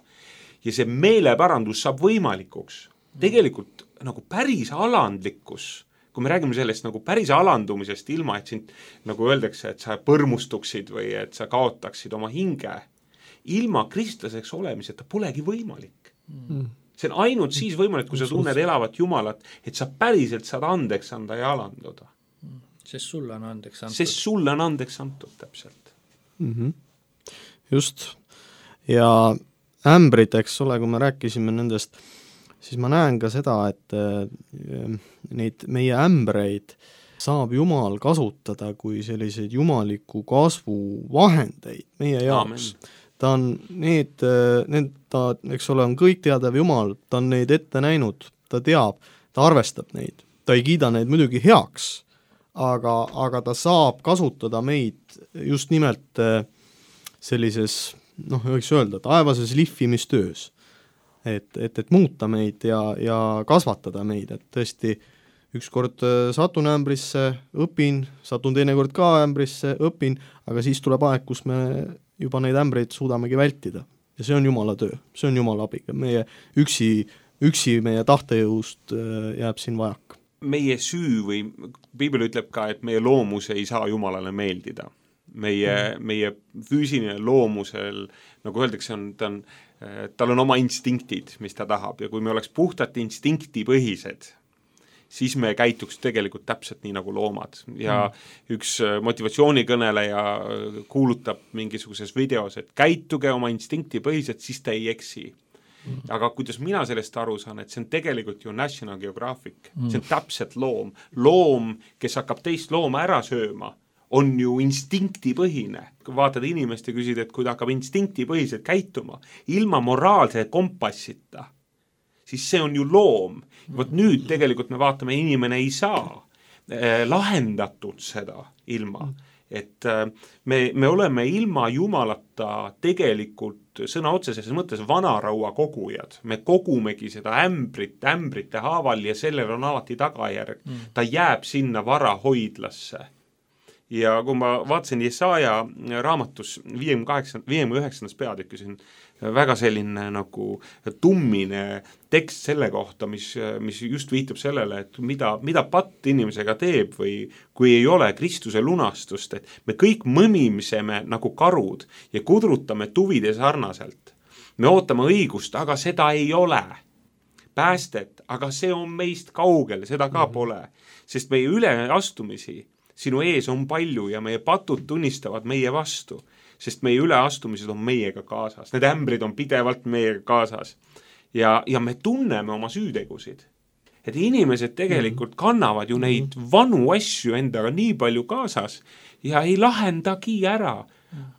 Ja see meeleparandus saab võimalikuks. Tegelikult nagu päris alandlikkus, kui me räägime sellest nagu päris alandumisest ilma, et sind nagu öeldakse, et sa põrmustuksid või et sa kaotaksid oma hinge, ilma kristlaseks olemiseta polegi võimalik. Mm. See on ainult siis võimalik, kui sa tunned elavat Jumalat, et sa päriselt saad andeks anda ja alanduda. sest sulle on andeks antud. sest sulle on andeks antud, täpselt mm. -hmm. Just. Ja ämbrid, eks ole, kui me rääkisime nendest, siis ma näen ka seda, et neid meie ämbreid saab Jumal kasutada kui selliseid jumaliku kasvu vahendeid meie jaoks. Ta on need, need, ta, eks ole, on kõik teadev Jumal, ta on neid ette näinud, ta teab, ta arvestab neid, ta ei kiida neid muidugi heaks, aga, aga ta saab kasutada meid just nimelt sellises, noh, võiks öelda, taevases lihvimistöös, et, et, et muuta meid ja, ja kasvatada meid, et tõesti ükskord satun ämbrisse, õpin, satun teinekord ka ämbrisse, õpin, aga siis tuleb aeg, kus me juba neid ämbreid suudamegi vältida. Ja see on Jumala töö, see on Jumala abiga. Meie üksi, üksi meie tahtejõust jääb siin vajak. Meie süü või Piibel ütleb ka, et meie loomus ei saa Jumalale meeldida. Meie, mm. meie füüsiline loomusel, nagu öeldakse, on, ta on, tal on oma instinktid, mis ta tahab, ja kui me oleks puhtalt instinktipõhised, siis me käituks tegelikult täpselt nii nagu loomad. Ja mm. üks motivatsioonikõneleja kuulutab mingisuguses videos, et käituge oma instinktipõhiselt, siis ta ei eksi. Mm. Aga kuidas mina sellest aru saan, et see on tegelikult ju National Geographic, mm. see on täpselt loom. Loom, kes hakkab teist looma ära sööma, on ju instinktipõhine. Kui vaatad inimest ja küsid, et kui ta hakkab instinktipõhiselt käituma, ilma moraalse kompassita, siis see on ju loom. Vot nüüd tegelikult me vaatame, inimene ei saa eh, lahendatud seda ilma. Et eh, me, me oleme ilma Jumalata tegelikult sõna otseses mõttes vanaraua kogujad. Me kogumegi seda ämbrit, ämbrite haaval ja sellel on alati tagajärg. Mm. Ta jääb sinna varahoidlasse. Ja kui ma vaatasin Jesaja raamatus viiekümne üheksandas peatükk, see on väga selline nagu tummine tekst selle kohta, mis, mis just viitab sellele, et mida, mida patt inimesega teeb või kui ei ole Kristuse lunastust, et me kõik mõmimiseme nagu karud ja kudrutame tuvide sarnaselt. Me ootame õigust, aga seda ei ole. Päästet, aga see on meist kaugel, seda ka pole, sest meie üleastumisi sinu ees on palju ja meie patud tunnistavad meie vastu, sest meie üleastumised on meiega kaasas. Need ämbrid on pidevalt meiega kaasas. Ja, ja me tunneme oma süütegusid. Et inimesed tegelikult kannavad ju neid vanu asju endaga nii palju kaasas ja ei lahendagi ära.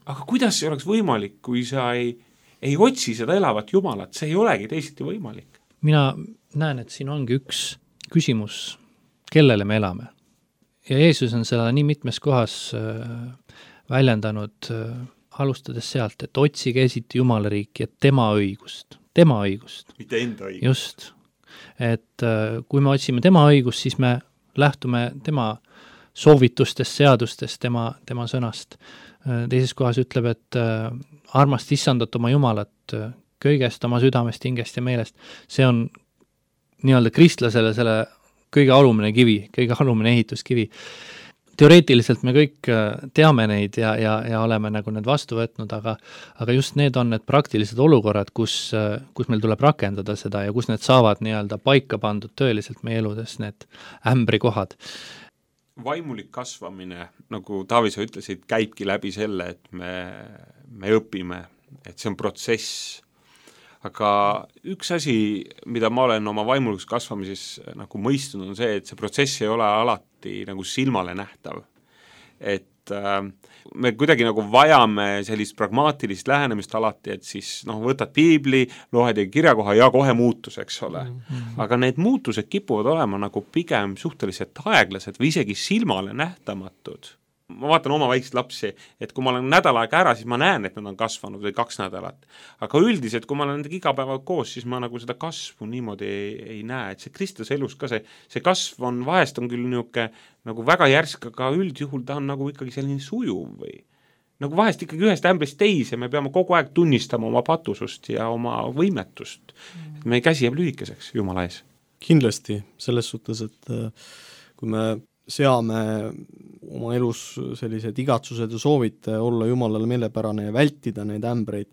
Aga kuidas see oleks võimalik, kui sa ei, ei otsi seda elavat Jumalat? See ei olegi teisiti võimalik. Mina näen, et siin ongi üks küsimus, kellele me elame. Ja Jeesus on seda nii mitmes kohas äh, väljendanud, äh, alustades sealt, et otsige esiti Jumala riiki ja tema õigust. Tema õigust. Mitte enda õigust. Just. Et äh, kui me otsime tema õigust, siis me lähtume tema soovitustest, seadustest, tema, tema sõnast. Äh, teises kohas ütleb, et äh, armast issandat oma Jumalat äh, kõigest oma südamest, hingest ja meelest. See on nii-öelda kristlasele selle kõige alumine kivi, kõige alumine ehituskivi. Teoreetiliselt me kõik teame neid ja, ja, ja oleme nagu need vastu võtnud, aga, aga just need on need praktilised olukorrad, kus, kus meil tuleb rakendada seda ja kus need saavad nii-öelda paika pandud tõeliselt meie eludes, need ämbrikohad. Vaimulik kasvamine, nagu Taavi sa ütlesid, käibki läbi selle, et me, me õpime, et see on protsess. Aga üks asi, mida ma olen oma vaimulikus kasvamises nagu mõistunud, on see, et see protsess ei ole alati nagu silmale nähtav. Et äh, me kuidagi nagu vajame sellist pragmaatilist lähenemist alati, et siis noh, võtad piibli, loed ja kirjakoha ja kohe muutus, eks ole. Mm-hmm. Aga need muutused kipuvad olema nagu pigem suhteliselt aeglased või isegi silmale nähtamatud. Ma vaatan oma väikseid lapsi, et kui ma olen nädal aega ära, siis ma näen, et nad on kasvanud või kaks nädalat. Aga üldiselt, kui ma olen nendega iga päeva koos, siis ma nagu seda kasvu niimoodi ei, ei näe. Et see Kristuse elus ka see, see kasv on, vahest on küll niuke, nagu väga järsk, aga üldjuhul ta on nagu ikkagi selline sujuv või nagu vahest ikkagi ühest ämbrist teise, me peame kogu aeg tunnistama oma patusust ja oma võimetust. Et meie käsi jääb lühikeseks Jumala ees. Kindlasti, selles suhtes, et kui me seame oma elus sellised igatsused ja soovid olla Jumalale meelepärane ja vältida neid ämbreid.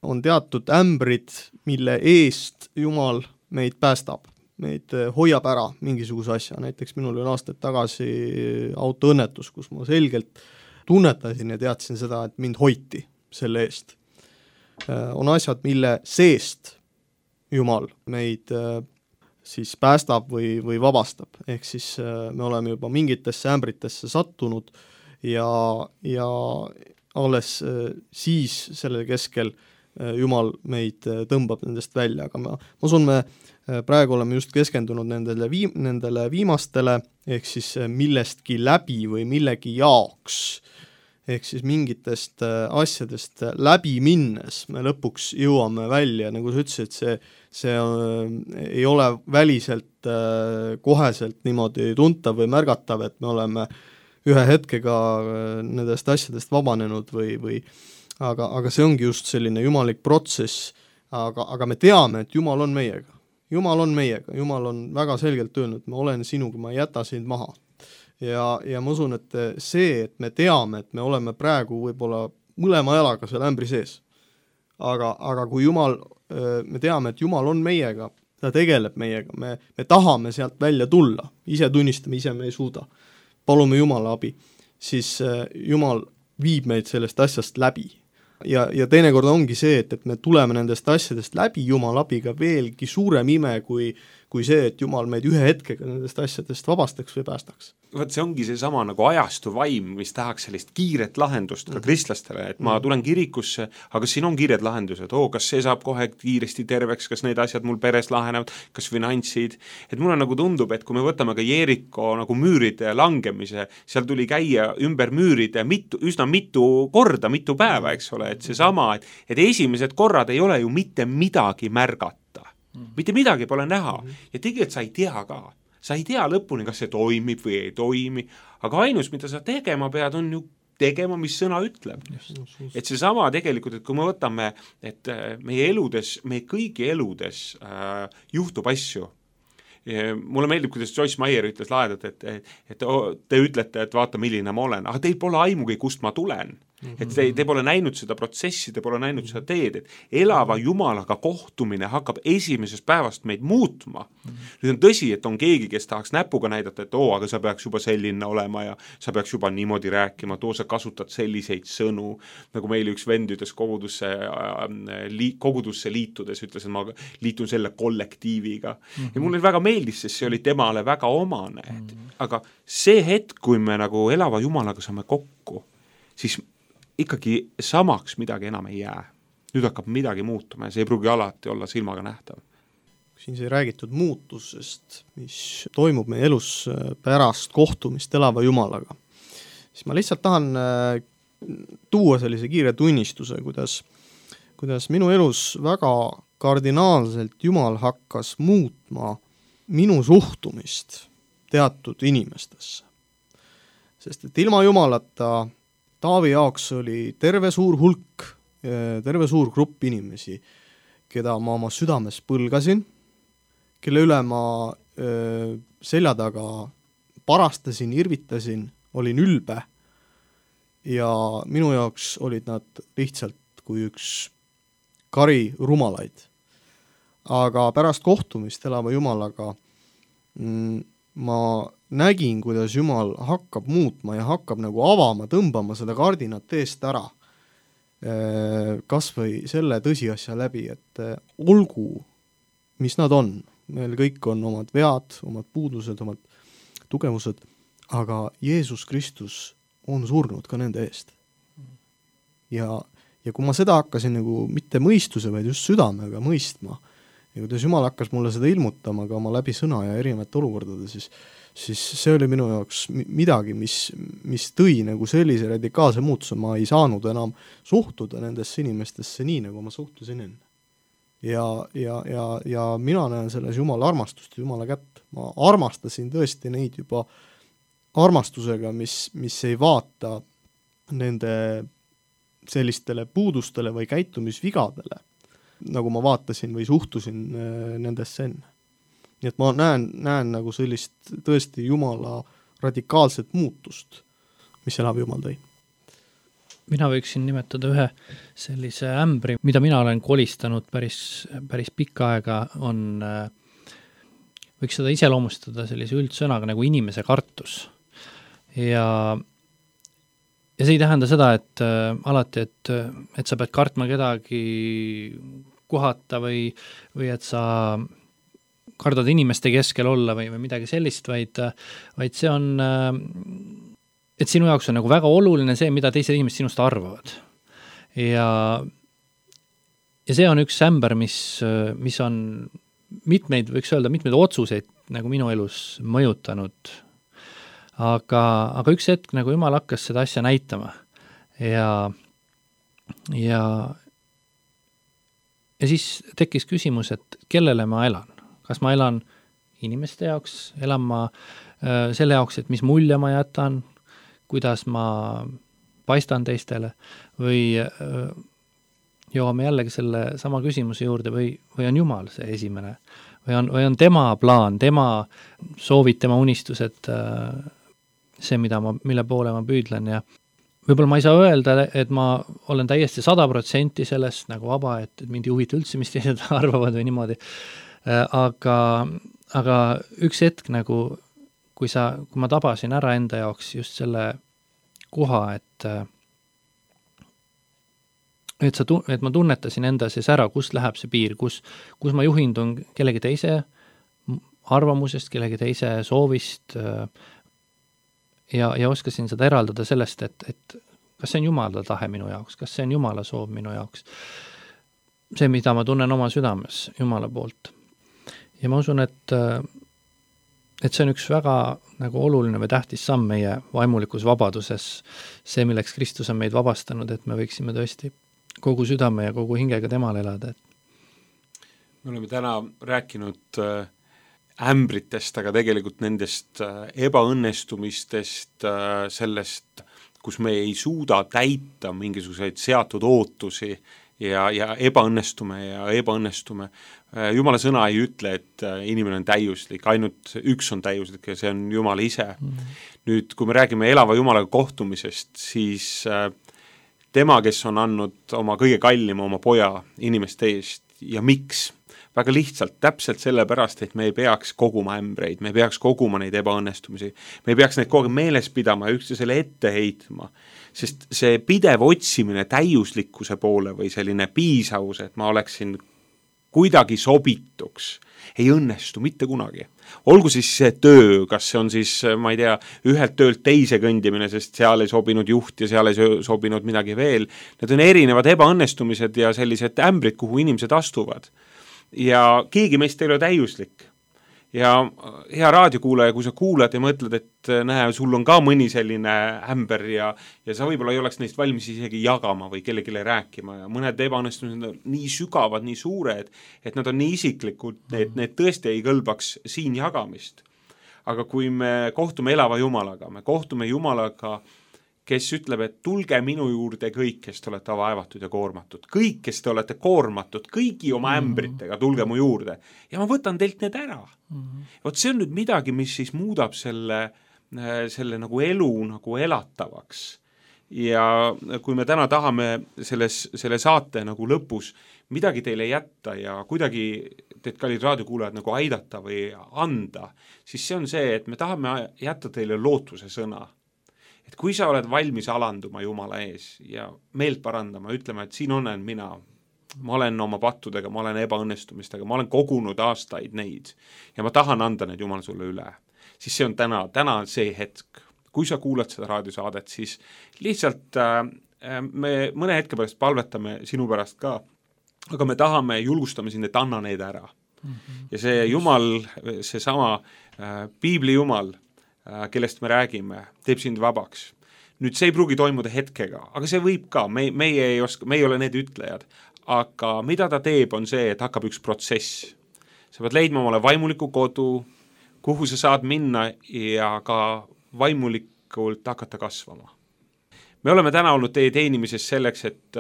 On teatud ämbrid, mille eest Jumal meid päästab. meid hoiab ära mingisuguse asja, näiteks minul oli aastaid tagasi autoõnnetus, kus ma selgelt tunnetasin ja teadsin seda, et mind hoiti selle eest. On asjad, mille seest Jumal meid siis päästab või, või vabastab, ehk siis me oleme juba mingitesse ämbritesse sattunud ja, ja alles siis selle keskel Jumal meid tõmbab nendest välja, aga ma, ma usun, me praegu oleme just keskendunud nendele, viim, nendele viimastele, ehk siis millestki läbi või millegi jaoks, ehk siis mingitest asjadest läbi minnes me lõpuks jõuame välja, nagu sa ütlesid, see, see on, ei ole väliselt koheselt niimoodi tuntav või märgatav, et me oleme ühe hetkega nendest asjadest vabanenud või, või aga, aga see ongi just selline jumalik protsess, aga, aga me teame, et Jumal on meiega. Jumal on meiega, Jumal on väga selgelt öelnud, ma olen sinuga, ma ei jäta sind maha. Ja, ja ma usun, et see, et me teame, et me oleme praegu võib-olla mõlema jalaga seal ämbri sees, aga, aga kui Jumal, me teame, et Jumal on meiega, ta tegeleb meiega, me, me tahame sealt välja tulla, ise tunnistame, ise me ei suuda, palume Jumala abi, siis Jumal viib meid sellest asjast läbi. Ja, ja teinekord ongi see, et, et me tuleme nendest asjadest läbi Jumal abiga veelgi suurem ime kui, kui see, et Jumal meid ühe hetkega nendest asjadest vabastaks või päästaks. Vot see ongi see sama nagu ajastu vaim, mis tahaks sellist kiiret lahendust ka kristlastele, et ma tulen kirikusse, aga kas siin on kiired lahendused, oo, kas see saab kohe kiiresti terveks, kas need asjad mul peres lahenevad, kas finantsid, et mulle nagu tundub, et kui me võtame ka Jeeriko nagu müüride langemise, seal tuli käia ümber müüride mitu, üsna mitu korda, mitu päeva, eks ole, et see sama, et, et esimesed korrad ei ole ju mitte midagi märgata, mitte midagi pole näha ja tegelikult sa ei tea ka. Sa ei tea lõpuni, kas see toimib või ei toimi, aga ainus, mida sa tegema pead, on ju tegema, mis sõna ütleb. Et see sama tegelikult, et kui me võtame, et meie eludes, meie kõigi eludes äh, juhtub asju. Ja mulle meeldib, kuidas Joyce Meyer ütles laedalt, et, et, et te ütlete, et vaata, milline ma olen, aga teil pole aimugi, kust ma tulen. Et te, te pole näinud seda protsessi, te pole näinud seda teed, et elava Jumalaga kohtumine hakkab esimesest päevast meid muutma. Nüüd on tõsi, et on keegi, kes tahaks näpuga näidata, et oo, aga sa peaks juba selline olema ja sa peaks juba niimoodi rääkima, et oo, sa kasutad selliseid sõnu, nagu meil üks vend ütles kogudusse, li, kogudusse liitudes, ütles, et ma liitun selle kollektiiviga. Mm-hmm. Ja mulle väga meeldis, sest see oli temale väga omane. Mm-hmm. Aga see hetk, kui me nagu elava Jumalaga saame kokku, siis ikkagi samaks midagi enam ei jää. Nüüd hakkab midagi muutuma ja see ei pruugi alati olla silmaga nähtav. Siin sai räägitud muutusest, mis toimub meie elus pärast kohtumist elava Jumalaga. Siis ma lihtsalt tahan tuua sellise kiire tunnistuse, kuidas, kuidas minu elus väga kardinaalselt Jumal hakkas muutma minu suhtumist teatud inimestesse. Sest et ilma Jumalata Taavi jaoks oli terve suur hulk, terve suur grupp inimesi, keda ma oma südames põlgasin, kelle üle ma öö, selja taga parastasin, irvitasin, olin ülbe ja minu jaoks olid nad lihtsalt kui üks kari rumalaid. Aga pärast kohtumist elava Jumalaga mm, ma nägin, kuidas Jumal hakkab muutma ja hakkab nagu avama, tõmbama seda kardinat eest ära. Kas või selle tõsiasja läbi, et olgu, mis nad on. Meil kõik on omad vead, omad puudused, omad tugevused, aga Jeesus Kristus on surnud ka nende eest. Ja, ja kui ma seda hakkasin nagu mitte mõistuse, vaid just südamega mõistma, ja kuidas Jumal hakkas mulle seda ilmutama ka oma läbi sõna ja erinevate olukordade, siis, siis see oli minu jaoks midagi, mis, mis tõi nagu sellise radikaalse muutuse, ma ei saanud enam suhtuda nendesse inimestesse nii, nagu ma suhtusin enne. Ja, ja, ja, ja mina näen selles Jumala armastust, Jumala kätt. Ma armastasin tõesti neid juba armastusega, mis, mis ei vaata nende sellistele puudustele või käitumisvigadele, nagu ma vaatasin või suhtusin nendesse enne. Nii et ma näen, näen nagu sellist tõesti Jumala radikaalset muutust, mis elab Jumal tõi. Mina võiksin nimetada ühe sellise ämbri, mida mina olen kolistanud päris, päris pikka aega, on võiks seda iseloomustada sellise üldsõnaga nagu inimese kartus. Ja, ja see ei tähenda seda, et äh, alati, et, et sa pead kartma kedagi kohata või, või et sa kardad inimeste keskel olla või, või midagi sellist, vaid, vaid see on, et sinu jaoks on nagu väga oluline see, mida teised inimesed sinust arvavad. Ja, ja see on üks ämber, mis, mis on mitmeid, võiks öelda, mitmeid otsuseid nagu minu elus mõjutanud. Aga, aga üks hetk nagu Jumal hakkas seda asja näitama ja, ja, ja siis tekkis küsimus, et kellele ma elan. Kas ma elan inimeste jaoks, elan ma äh, selle jaoks, et mis mulje ma jätan, kuidas ma paistan teistele või äh, jõuame jällegi selle sama küsimuse juurde või, või on Jumal see esimene või on, või on tema plaan, tema soovid, tema unistused, äh, see, mida ma, mille poole ma püüdlen ja võib-olla ma ei saa öelda, et ma olen täiesti sada protsenti sellest nagu vaba, et, et mind ei huvita üldse, mis teised arvavad või niimoodi. Aga, aga üks hetk nagu, kui sa, kui ma tabasin ära enda jaoks just selle koha, et et, sa, et ma tunnetasin enda sees ära, kust läheb see piir, kus, kus ma juhindun kellegi teise arvamusest, kellegi teise soovist ja, ja oskasin seda eraldada sellest, et, et kas see on Jumala tahe minu jaoks, kas see on Jumala soov minu jaoks. See, mida ma tunnen oma südames Jumala poolt. Ja ma usun, et, et see on üks väga nagu oluline või tähtis samm meie vaimulikus vabaduses, see, milleks Kristus on meid vabastanud, et me võiksime tõesti kogu südame ja kogu hingega temal elada. Me oleme täna rääkinud ämbritest, aga tegelikult nendest ebaõnnestumistest, sellest, kus me ei suuda täita mingisuguseid seatud ootusi ja, ja ebaõnnestume ja ebaõnnestume. Jumala sõna ei ütle, et inimene on täiuslik, ainult üks on täiuslik ja see on Jumal ise. Mm. Nüüd, kui me räägime elava Jumalaga kohtumisest, siis tema, kes on andnud oma kõige kallima oma poja inimeste eest ja miks? Väga lihtsalt, täpselt sellepärast, et me ei peaks koguma ämbreid, me ei peaks koguma neid ebaõnnestumisi, me ei peaks neid kogu meeles pidama ja üksteisele ette heitma, sest see pidev otsimine täiuslikkuse poole või selline piisavus, et ma oleksin kuidagi sobituks, ei õnnestu mitte kunagi. Olgu siis see töö, kas see on siis, ma ei tea, ühelt töölt teise kõndimine, sest seal ei sobinud juht ja seal ei sobinud midagi veel. Need on erinevad ebaõnnestumised ja sellised ämbrid, kuhu inimesed astuvad. Ja keegi meist ei ole täiuslik. Ja hea raadiokuulaja, kui sa kuulad ja mõtled, et näe, sul on ka mõni selline ämber ja, ja sa võib-olla ei oleks neist valmis isegi jagama või kellegile rääkima ja mõned ebaõnnestumised on nii sügavad, nii suured, et nad on nii isiklikud, et need tõesti ei kõlbaks siin jagamist. Aga kui me kohtume elava Jumalaga, me kohtume Jumalaga, kes ütleb, et tulge minu juurde kõik, kes te olete vaevatud ja koormatud. Kõik, kes te olete koormatud, kõigi oma ämbritega, tulge mu juurde. Ja ma võtan teilt need ära. Mm-hmm. Vot see on nüüd midagi, mis siis muudab selle, selle nagu elu nagu elatavaks. Ja kui me täna tahame selles, selle saate nagu lõpus midagi teile jätta ja kuidagi teid kallid raadiokuulajad nagu aidata või anda, siis see on see, et me tahame jätta teile lootuse sõna. Et kui sa oled valmis alanduma Jumala ees ja meelt parandama, ütlema, et siin olen mina, ma olen oma pattudega, ma olen ebaõnnestumistega, ma olen kogunud aastaid neid ja ma tahan anda need Jumal sulle üle, siis see on täna, täna on see hetk. Kui sa kuulad seda raadiosaadet, siis lihtsalt äh, me mõne hetke pärast palvetame sinu pärast ka, aga me tahame, julgustame sind, et anna need ära. Mm-hmm. Ja see Jumal, see sama äh, Piibli Jumal, kellest me räägime, teeb sind vabaks. Nüüd see ei pruugi toimuda hetkega, aga see võib ka, me, meie ei oska, me ei ole need ütlejad, aga mida ta teeb on see, et hakkab üks protsess. Sa pead leidma omale vaimuliku kodu, kuhu sa saad minna ja ka vaimulikult hakata kasvama. Me oleme täna olnud teie teenimises selleks, et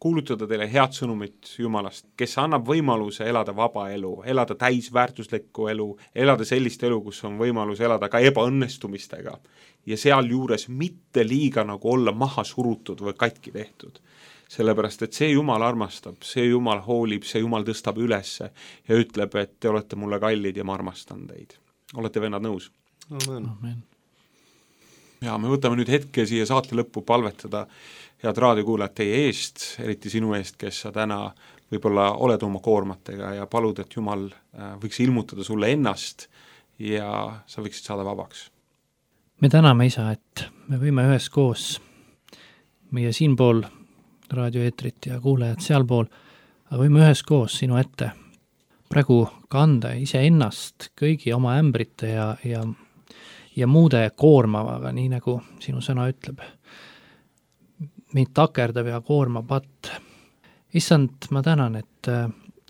kuulutada teile head sõnumit Jumalast, kes annab võimaluse elada vaba elu, elada täisväärtuslikku elu, elada sellist elu, kus on võimalus elada ka ebaõnnestumistega ja seal juures mitte liiga nagu olla maha surutud või katki tehtud. sellepärast et see Jumal armastab, see Jumal hoolib, see Jumal tõstab ülesse ja ütleb, et te olete mulle kallid ja ma armastan teid. Olete vennad nõus? Amen. Amen. Ja me võtame nüüd hetke siia saate lõppu palvetada head raadiokuulajad teie eest, eriti sinu eest, kes sa täna võib-olla oled oma koormatega ja palud, et Jumal võiks ilmutada sulle ennast ja sa võiksid saada vabaks. Me täname, Isa, et me võime üheskoos meie siinpool raadioeetrit ja kuulajad sealpool, aga võime üheskoos sinu ette praegu kanda ise ennast kõigi oma ämbrite ja, ja ja muude koormavaga, nii nagu sinu sõna ütleb. Meid takerdab ja koorma patt. Issand, ma tänan, et,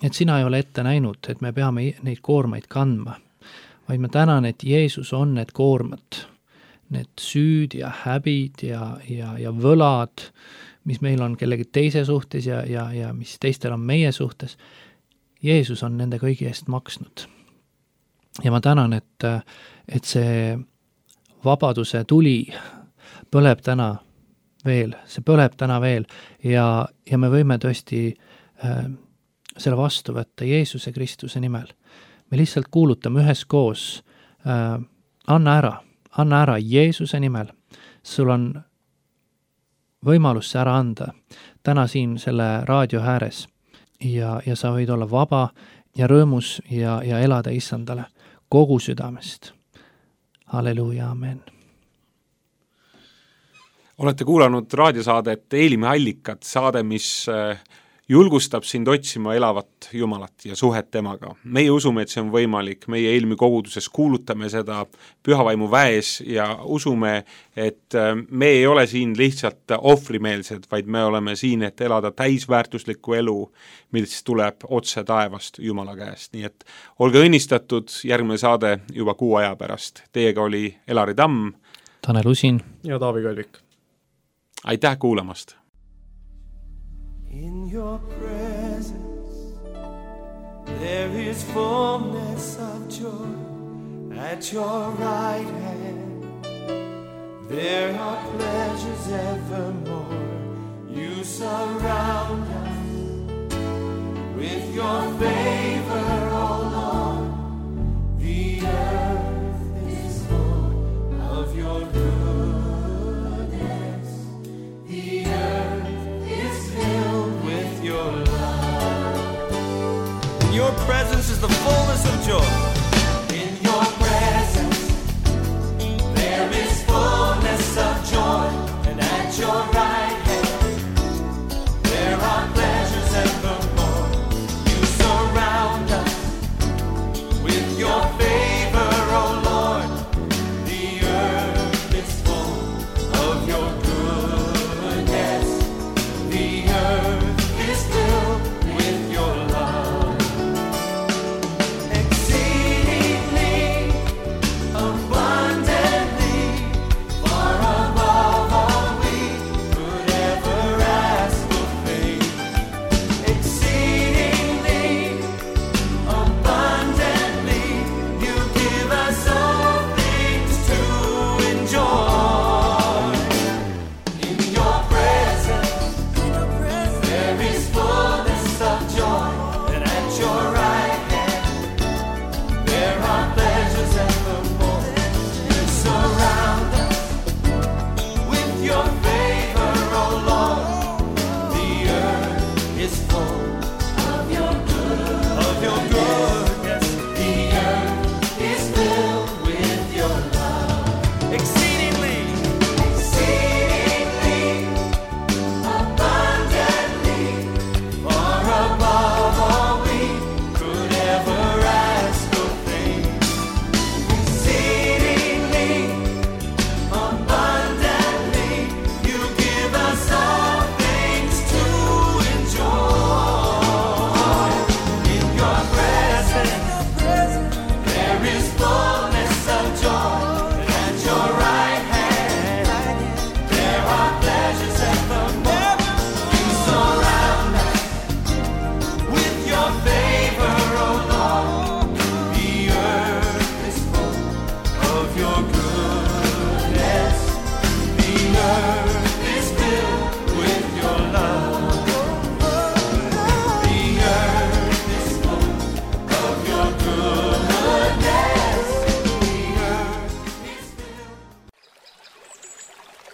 et sina ei ole ette näinud, et me peame neid koormaid kandma, vaid ma tänan, et Jeesus on need koormad, need süüd ja häbid ja, ja, ja võlad, mis meil on kellegi teise suhtes ja, ja, ja mis teistel on meie suhtes. Jeesus on nende kõigi eest maksnud. Ja ma tänan, et, et see vabaduse tuli põleb täna veel, see põleb täna veel ja, ja me võime tõesti äh, selle vastu võtta Jeesuse Kristuse nimel. Me lihtsalt kuulutame üheskoos, äh, anna ära, anna ära Jeesuse nimel. Sul on võimalus see ära anda täna siin selle raadio ääres ja, ja sa võid olla vaba ja rõõmus ja, ja elada Issandale kogu südamest. Halleluuja, amen. Olete kuulanud raadiosaadet Eelime allikad, saade, mis julgustab sind otsima elavat Jumalat ja suhet temaga. Meie usume, et see on võimalik, meie Eelmi koguduses kuulutame seda pühavaimu väes ja usume, et me ei ole siin lihtsalt ohvrimeelsed, vaid me oleme siin, et elada täisväärtuslikku elu, mis tuleb otse taevast Jumala käest. Nii et olge õnnistatud, järgmine saade juba kuu aja pärast. Teiega oli Elari Tamm, Tanel Usin ja Taavi Kalvik. Aitäh kuulamast! In your presence there is fullness of joy. At your right hand there are pleasures evermore. You surround us with your favor, O Lord. The earth is full of your goodness. The earth is filled with your love. In your presence is the fullness of joy. In your presence there is fullness of joy. And at your right hand there are pleasures evermore. You surround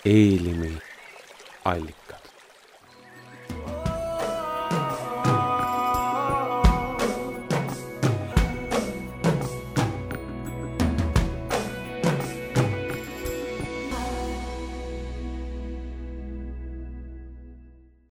Eelimi allikad.